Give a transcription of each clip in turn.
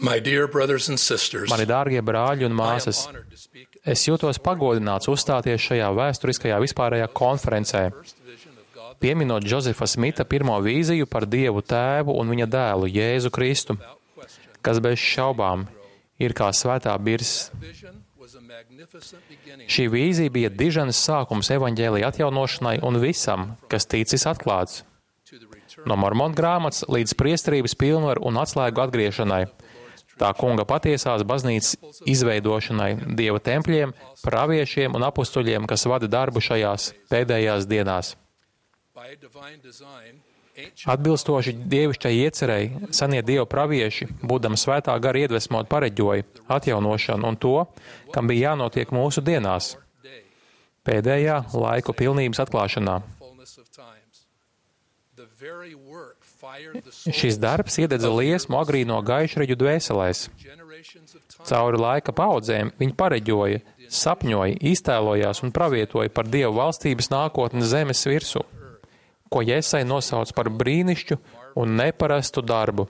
Mani dārgie brāļi un māsas, es jūtos pagodināts uzstāties šajā vēsturiskajā vispārējā konferencē, pieminot Džozefa Smita pirmo vīziju par Dievu Tēvu un viņa dēlu Jēzu Kristu, kas bez šaubām ir kā svētā birzs. Šī vīzija bija diženas sākums evaņģēlija atjaunošanai un visam, kas ticis atklāts. No Mormonu grāmatas līdz priesterības pilnvaru un atslēgu atgriešanai, tā kunga patiesās baznīcas izveidošanai, Dieva tempļiem, praviešiem un apustuļiem, kas vada darbu šajās pēdējās dienās. Atbilstoši dievišķai iecerei, senie Dieva pravieši, būdami svētā gara iedvesmot, pareģoja atjaunošanu un to, kam bija jānotiek mūsu dienās, pēdējā laiku pilnības atklāšanā. Šis darbs iededza liesmu agrīno gaišreģu dvēselēs. Cauri laika paudzēm viņi pareģoja, sapņoja, iztēlojās un pravietoja par Dievu valstības nākotni zemes virsū, ko Jesai nosauc par brīnišķu un neparastu darbu.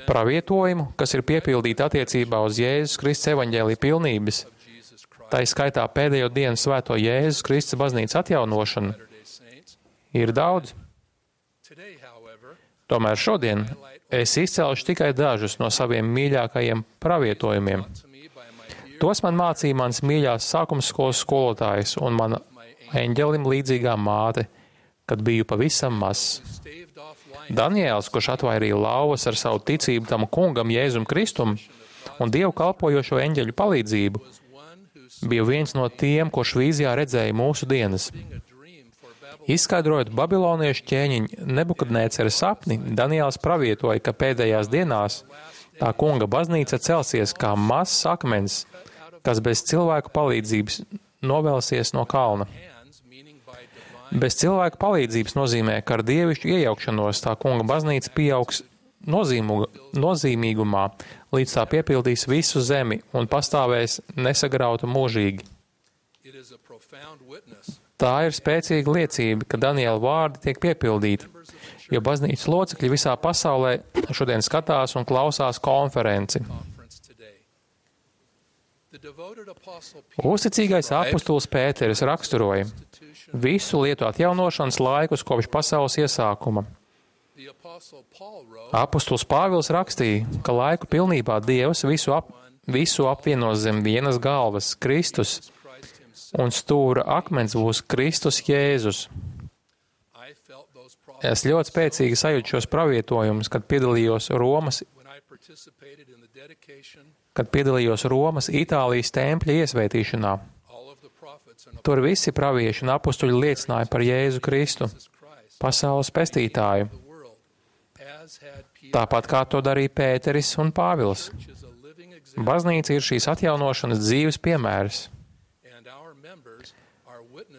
Pravietojumu, kas ir piepildīti attiecībā uz Jēzus Kristus evaņģēlija pilnības, tā skaitā pēdējo dienu svēto Jēzus Kristus baznīcas atjaunošanu, ir daudz. Tomēr šodien es izcelšu tikai dažus no saviem mīļākajiem pravietojumiem. Tos man mācīja mans mīļās sākumskolas skolotājs un mana eņģelim līdzīgā māte, kad biju pavisam mazs. Daniēls, kurš atvairīja lauvas ar savu ticību tam kungam Jēzum Kristum un Dievu kalpojošo eņģeļu palīdzību, bija viens no tiem, kurš vīzijā redzēja mūsu dienas. Izskaidrojot babiloniešu ķēniņu Nebukadnēcera sapni, Daniēls pravietoja, ka pēdējās dienās tā kunga baznīca celsies kā mazs akmens, kas bez cilvēku palīdzības novelsies no kalna. Bez cilvēku palīdzības nozīmē, ka ar dievišķu iejaukšanos tā kunga baznīca pieaugs nozīmīgumā, līdz tā piepildīs visu zemi un pastāvēs nesagrauta mūžīgi. Tā ir spēcīga liecība, ka Daniela vārdi tiek piepildīti, jo baznīcas locekļi visā pasaulē šodien skatās un klausās konferenci. Uzticīgais apustulis Pēteris raksturoja visu lietu atjaunošanas laikus kopš pasaules iesākuma. Apustulis Pāvils rakstīja, ka laiku pilnībā Dievs visu apvienos zem vienas galvas, Kristus, un stūra akmens būs Kristus Jēzus. Es ļoti spēcīgi sajūtu šos pravietojumus, kad piedalījos Romas Itālijas tempļa iesvētīšanā. Tur visi pravieši un apustuļi liecināja par Jēzu Kristu, pasaules pestītāju, tāpat kā to darīja Pēteris un Pāvils. Baznīca ir šīs atjaunošanas dzīves piemērs.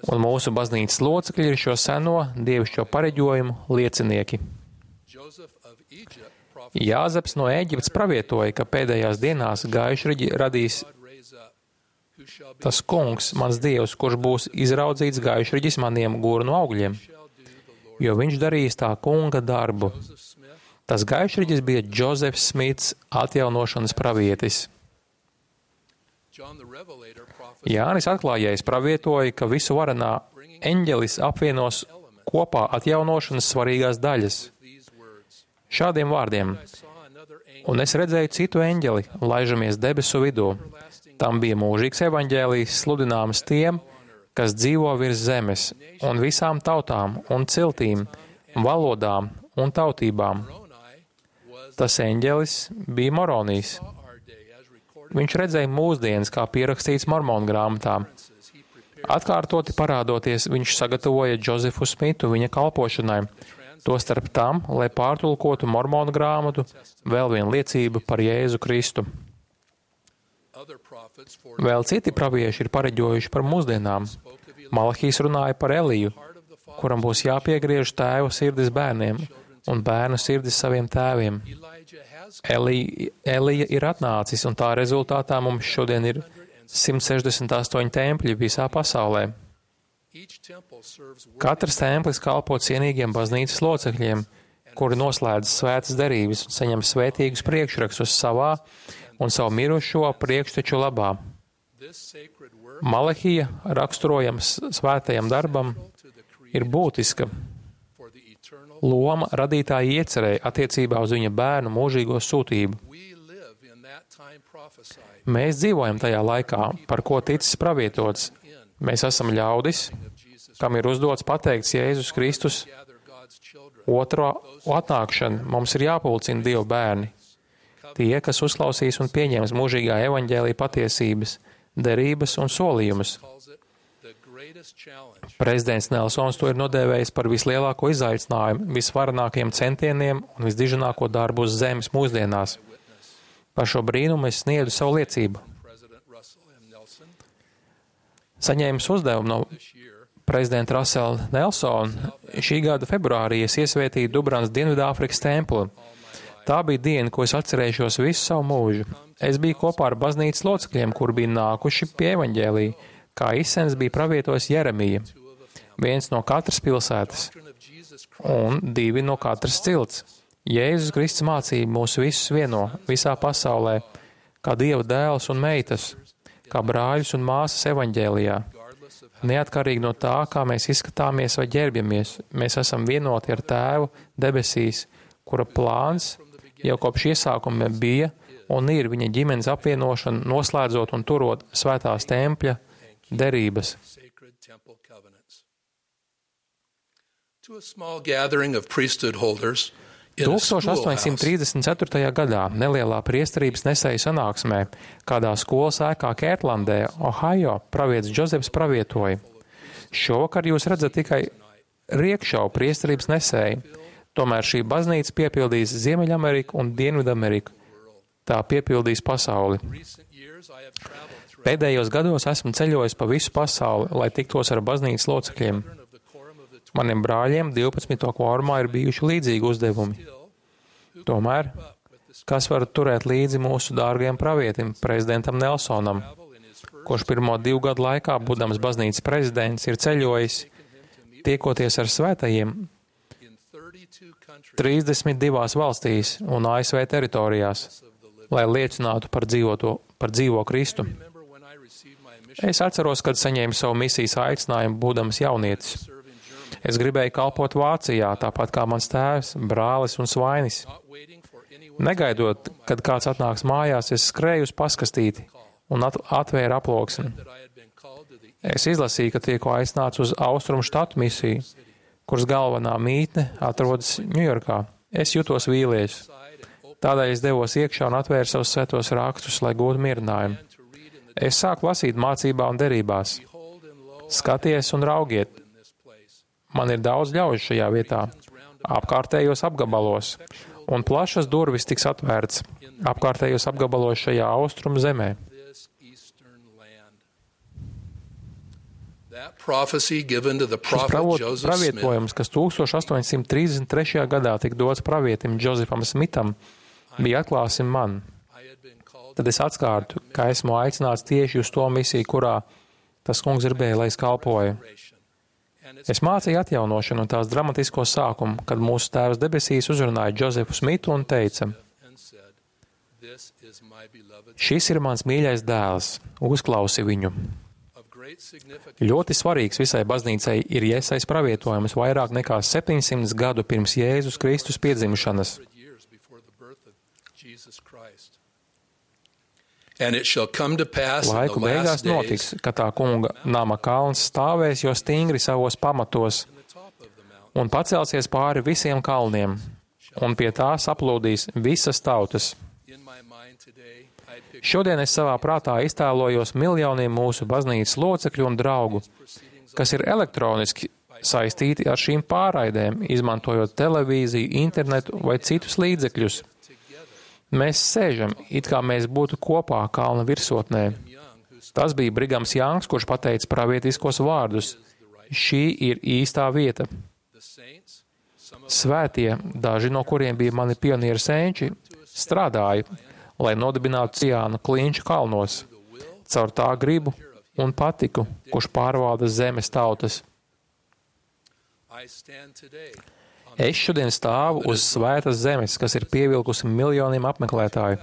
Un mūsu baznīcas locekļi ir šo seno dievišķo pareģojumu liecinieki. Jāzeps no Ēģiptes pravietoja, ka pēdējās dienās gaišreģi radīs tas kungs, mans dievs, kurš būs izraudzīts gaišreģis maniem gurnu augļiem, jo viņš darīs tā kunga darbu. Tas gaišreģis bija Džozefs Smits, atjaunošanas pravietis. Jānis atklājējs pravietoja, ka visu varenā eņģelis apvienos kopā atjaunošanas svarīgās daļas. Šādiem vārdiem: un es redzēju citu eņģeli, laižamies debesu vidū. Tam bija mūžīgs evaņģēlijs sludināms tiem, kas dzīvo virs zemes, un visām tautām un ciltīm, valodām un tautībām. Tas eņģelis bija Moronijs. Viņš redzēja mūsdienas, kā pierakstīts Mormonu grāmatā. Atkārtoti parādoties, viņš sagatavoja Džozefu Smitu viņa kalpošanai, tostarp tam, lai pārtulkotu Mormonu grāmatu, vēl vienu liecību par Jēzu Kristu. Vēl citi pravieši ir pareģojuši par mūsdienām. Malahijs runāja par Eliju, kuram būs jāpiegriež tēvu sirdis bērniem un bērnu sirdis saviem tēviem. Elija ir atnācis, un tā rezultātā mums šodien ir 168 tempļi visā pasaulē. Katrs templis kalpo cienīgiem baznīcas locekļiem, kuri noslēdz svētas derības un saņem svētīgus priekšrakstus savā un savu mirušo priekšteču labā. Malahija, raksturojams svētajam darbam, ir būtiska loma radītāja iecerēja attiecībā uz viņa bērnu mūžīgo sūtību. Mēs dzīvojam tajā laikā, par ko ticis pravietots. Mēs esam ļaudis, kam ir uzdots pateikts Jēzus Kristus. Otro atnākšana mums ir jāpulcina Dieva bērni. Tie, kas uzklausīs un pieņems mūžīgā evaņģēlija patiesības, derības un solījumus. Prezidents Nelsons to ir nodēvējis par vislielāko izaicinājumu, visvarenākajiem centieniem un visdiženāko darbu uz zemes mūsdienās. Par šo brīnumu es sniedzu savu liecību. Saņēmis uzdevumu no prezidenta Russella Nelsona, šī gada februārī es iesvētīju Dubranas Dienvidāfrikas templi. Tā bija diena, ko es atcerēšos visu savu mūžu. Es biju kopā ar baznīcas locekļiem, kuri bija nākuši pie evaņģēlija, kā izsens bija pravietojis Jeremija. 1 no katras pilsētas un 2 no katras cilts. Jēzus Kristus mācība mūs visus vieno visā pasaulē, kā Dieva dēls un meitas, kā brāļus un māsas evaņģēlijā. Neatkarīgi no tā, kā mēs izskatāmies vai ģērbjamies, mēs esam vienoti ar Tēvu debesīs, kura plāns jau kopš iesākuma bija un ir viņa ģimenes apvienošana, noslēdzot un turot svētās tempļa derības. 1834. gadā nelielā priesterības nesēju sanāksmē, kādā skolas ēkā Kērtlandē, Ohio, pravietis Džozefs pravietoja. Šovakar jūs redzat tikai riekšavu priesterības nesēju, tomēr šī baznīca piepildīs Ziemeļameriku un Dienvidameriku. Tā piepildīs pasauli. Pēdējos gados esmu ceļojis pa visu pasauli, lai tiktos ar baznīcas locekļiem. Maniem brāļiem 12. kvorumā ir bijuši līdzīgi uzdevumi. Tomēr, kas var turēt līdzi mūsu dārgajam pravietim, prezidentam Nelsonam, kurš pirmo 2 gadu laikā, būdams baznīcas prezidents, ir ceļojis, tiekoties ar svētajiem 32 valstīs un ASV teritorijās, lai liecinātu par dzīvo Kristu. Es atceros, kad saņēmu savu misijas aicinājumu, būdams jaunietis. Es gribēju kalpot Vācijā, tāpat kā mans tēvs, brālis un svainis. Negaidot, kad kāds atnāks mājās, es skrēju uz paskastīti un atvēru aploksni. Es izlasīju, ka tiek aicināts uz Austrumu štatu misiju, kuras galvenā mītne atrodas Ņujorkā. Es jutos vīlies. Tādēļ es devos iekšā un atvēru savus svētos rakstus, lai gūtu mierinājumu. Es sāku lasīt mācībā un derībās. Skaties un raugiet. Man ir daudz ļaužu šajā vietā, apkārtējos apgabalos, un plašas durvis tiks atvērts apkārtējos apgabalos šajā austrumu zemē. Šis pravietojums, kas 1833. gadā tika dots pravietim Džozefam Smitam, bija atklāsim man. Tad es atskārtu, ka esmu aicināts tieši uz to misiju, kurā tas kungs gribēja, lai es kalpoju. Es mācīju atjaunošanu un tās dramatisko sākumu, kad mūsu tēvs debesīs uzrunāja Džozefu Smitu un teica: šis ir mans mīļais dēls, uzklausi viņu. Ļoti svarīgs visai baznīcai ir Iesais pravietojums vairāk nekā 700 gadu pirms Jēzus Kristus piedzimšanas. Laiku beigās notiks, ka tā kunga nama kalns stāvēs jau stingri savos pamatos un pacelsies pāri visiem kalniem, un pie tā saplūdīs visas tautas. Šodien es savā prātā iztēlojos miljoniem mūsu baznīcas locekļu un draugu, kas ir elektroniski saistīti ar šīm pārraidēm, izmantojot televīziju, internetu vai citus līdzekļus. Mēs sēžam, it kā mēs būtu kopā kalna virsotnē. Tas bija Brigams Jangs, kurš pateica pravietiskos vārdus. Šī ir īstā vieta. Svētie, daži no kuriem bija mani pionieru senči, strādāja, lai nodibinātu Ciānu klinču kalnos, caur tā gribu un patiku, kurš pārvalda zemes tautas. Es šodien stāvu uz svētas zemes, kas ir pievilkusi miljoniem apmeklētāju.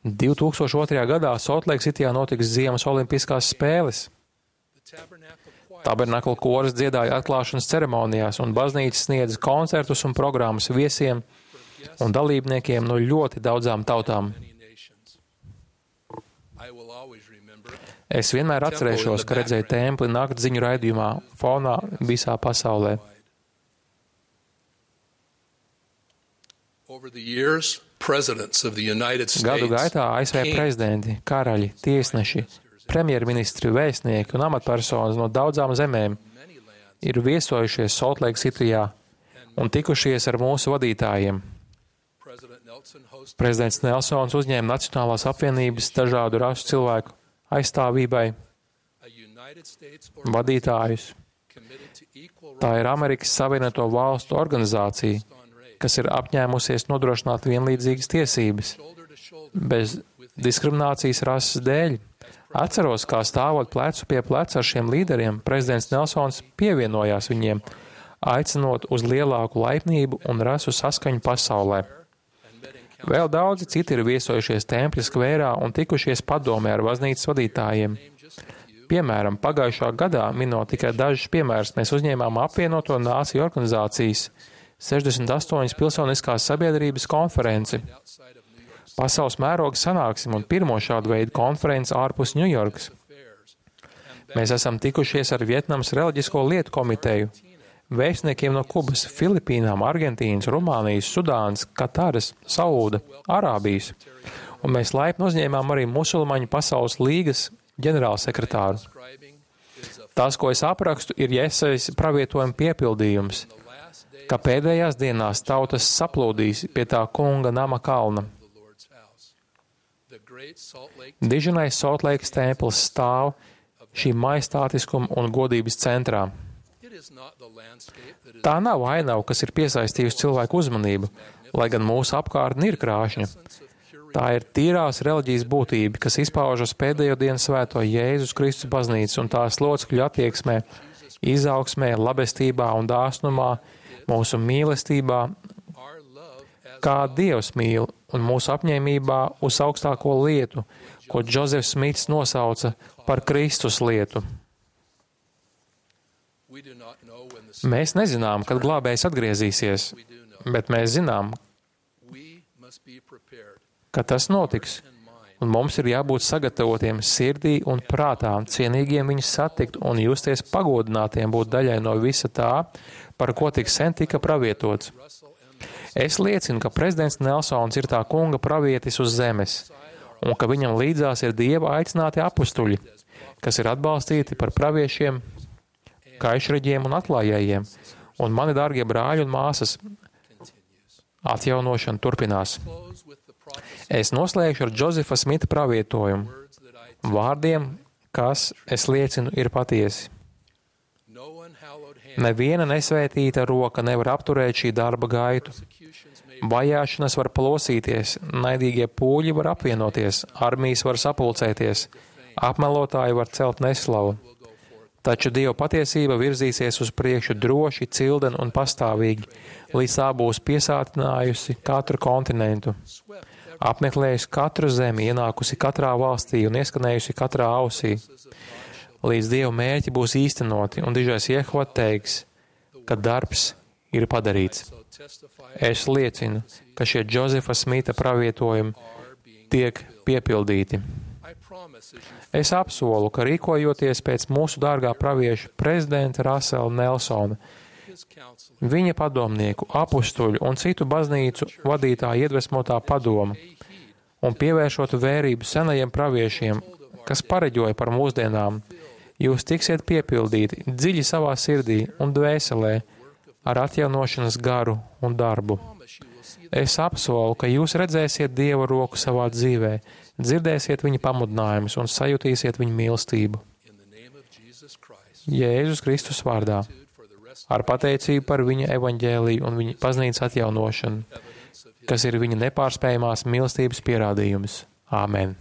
2002. gadā Soltleiksitijā notiks Ziemas olimpiskās spēles. Tabernakla koris dziedāja atklāšanas ceremonijās, un baznīca sniedz koncertus un programmas viesiem un dalībniekiem no ļoti daudzām tautām. Es vienmēr atcerēšos, ka redzēju templi naktziņu raidījumā fonā visā pasaulē. Gadu gaitā ASV prezidenti, karaļi, tiesneši, premjerministri, vēstnieki un amatpersonas no daudzām zemēm ir viesojušies Soltleiksitijā un tikušies ar mūsu vadītājiem. Prezidents Nelsons uzņēma Nacionālās apvienības dažādu rasu cilvēku aizstāvībai vadītājus. Tā ir Amerikas Savienoto Valstu organizācija, kas ir apņēmusies nodrošināt vienlīdzīgas tiesības, bez diskriminācijas rases dēļ. Atceros, kā stāvot plecu pie pleca ar šiem līderiem, prezidents Nelsons pievienojās viņiem, aicinot uz lielāku laipnību un rasu saskaņu pasaulē. Vēl daudzi citi ir viesojušies tempļa skvērā un tikušies padomē ar baznīcas vadītājiem. Piemēram, pagājušā gadā, minot tikai dažus piemērus, mēs uzņēmām apvienoto nāciju organizācijas 68 pilsoniskās sabiedrības konferenci. Pasaules mēroga sanāksim un pirmo šādu veidu konferenci ārpus Ņujorkas. Mēs esam tikušies ar Vietnamas reliģisko lietu komiteju, vēstniekiem no Kubas, Filipīnām, Argentīnas, Rumānijas, Sudānas, Kataras, Saūda, Arābijas, un mēs laipni uzņēmām arī Musulmaņu pasaules līgas ģenerālsekretāru. Tas, ko es aprakstu, ir Jesajas pravietojuma piepildījums, ka pēdējās dienās tautas saplūdīs pie tā kunga nama kalna. Diženais Soltleikas templis stāv šī majestātiskuma un godības centrā. Tā nav ainava, kas ir piesaistījusi cilvēku uzmanību, lai gan mūsu apkārtne ir krāšņa. Tā ir tīrās reliģijas būtība, kas izpaužas pēdējo dienu svēto Jēzus Kristus baznīcas un tās locekļu attieksmē, izaugsmē, labestībā un dāsnumā, mūsu mīlestībā, kā Dievs mīl, un mūsu apņēmībā uz augstāko lietu, ko Džozefs Smits nosauca par Kristus lietu. Mēs nezinām, kad glābējs atgriezīsies, bet mēs zinām, ka tas notiks, un mums ir jābūt sagatavotiem sirdī un prātā, cienīgiem viņus satikt un justies pagodinātiem būt daļai no visa tā, par ko tik sen tika pravietots. Es liecinu, ka prezidents Nelsons ir tā kunga pravietis uz zemes, un ka viņam līdzās ir Dieva aicināti apustuļi, kas ir atbalstīti par praviešiem, kaišreģiem un atklājējiem, un mani dārgie brāļi un māsas, atjaunošana turpinās. Es noslēgšu ar Džozefa Smita pravietojumu, vārdiem, kas, es liecinu, ir patiesi. Neviena nesvētīta roka nevar apturēt šī darba gaitu. Vajāšanas var plosīties, naidīgie pūļi var apvienoties, armijas var sapulcēties, apmelotāji var celt neslavu. Taču Dieva patiesība virzīsies uz priekšu droši, cilden un pastāvīgi, līdz tā būs piesātinājusi katru kontinentu, apmeklējusi katru zemi, ienākusi katrā valstī un ieskanējusi katrā ausī. Līdz Dieva mērķi būs īstenoti, un dižais Jehova teiks, ka darbs ir padarīts. Es liecinu, ka šie Džozefa Smita pravietojumi tiek piepildīti. Es apsolu, ka rīkojoties pēc mūsu dārgā pravieša prezidenta Rasela Nelsona, viņa padomnieku, apustuļu un citu baznīcu vadītāju iedvesmotā padoma, un pievēršot vērību senajiem praviešiem, kas pareģoja par mūsdienām, jūs tiksiet piepildīti dziļi savā sirdī un dvēselē ar atjaunošanas garu un darbu. Es apsolu, ka jūs redzēsiet Dieva roku savā dzīvē, dzirdēsiet viņa pamudinājumus un sajutīsiet viņa mīlestību. Jēzus Kristus vārdā, ar pateicību par viņa evaņģēliju un viņa baznīcas atjaunošanu, kas ir viņa nepārspējamās mīlestības pierādījums. Āmen.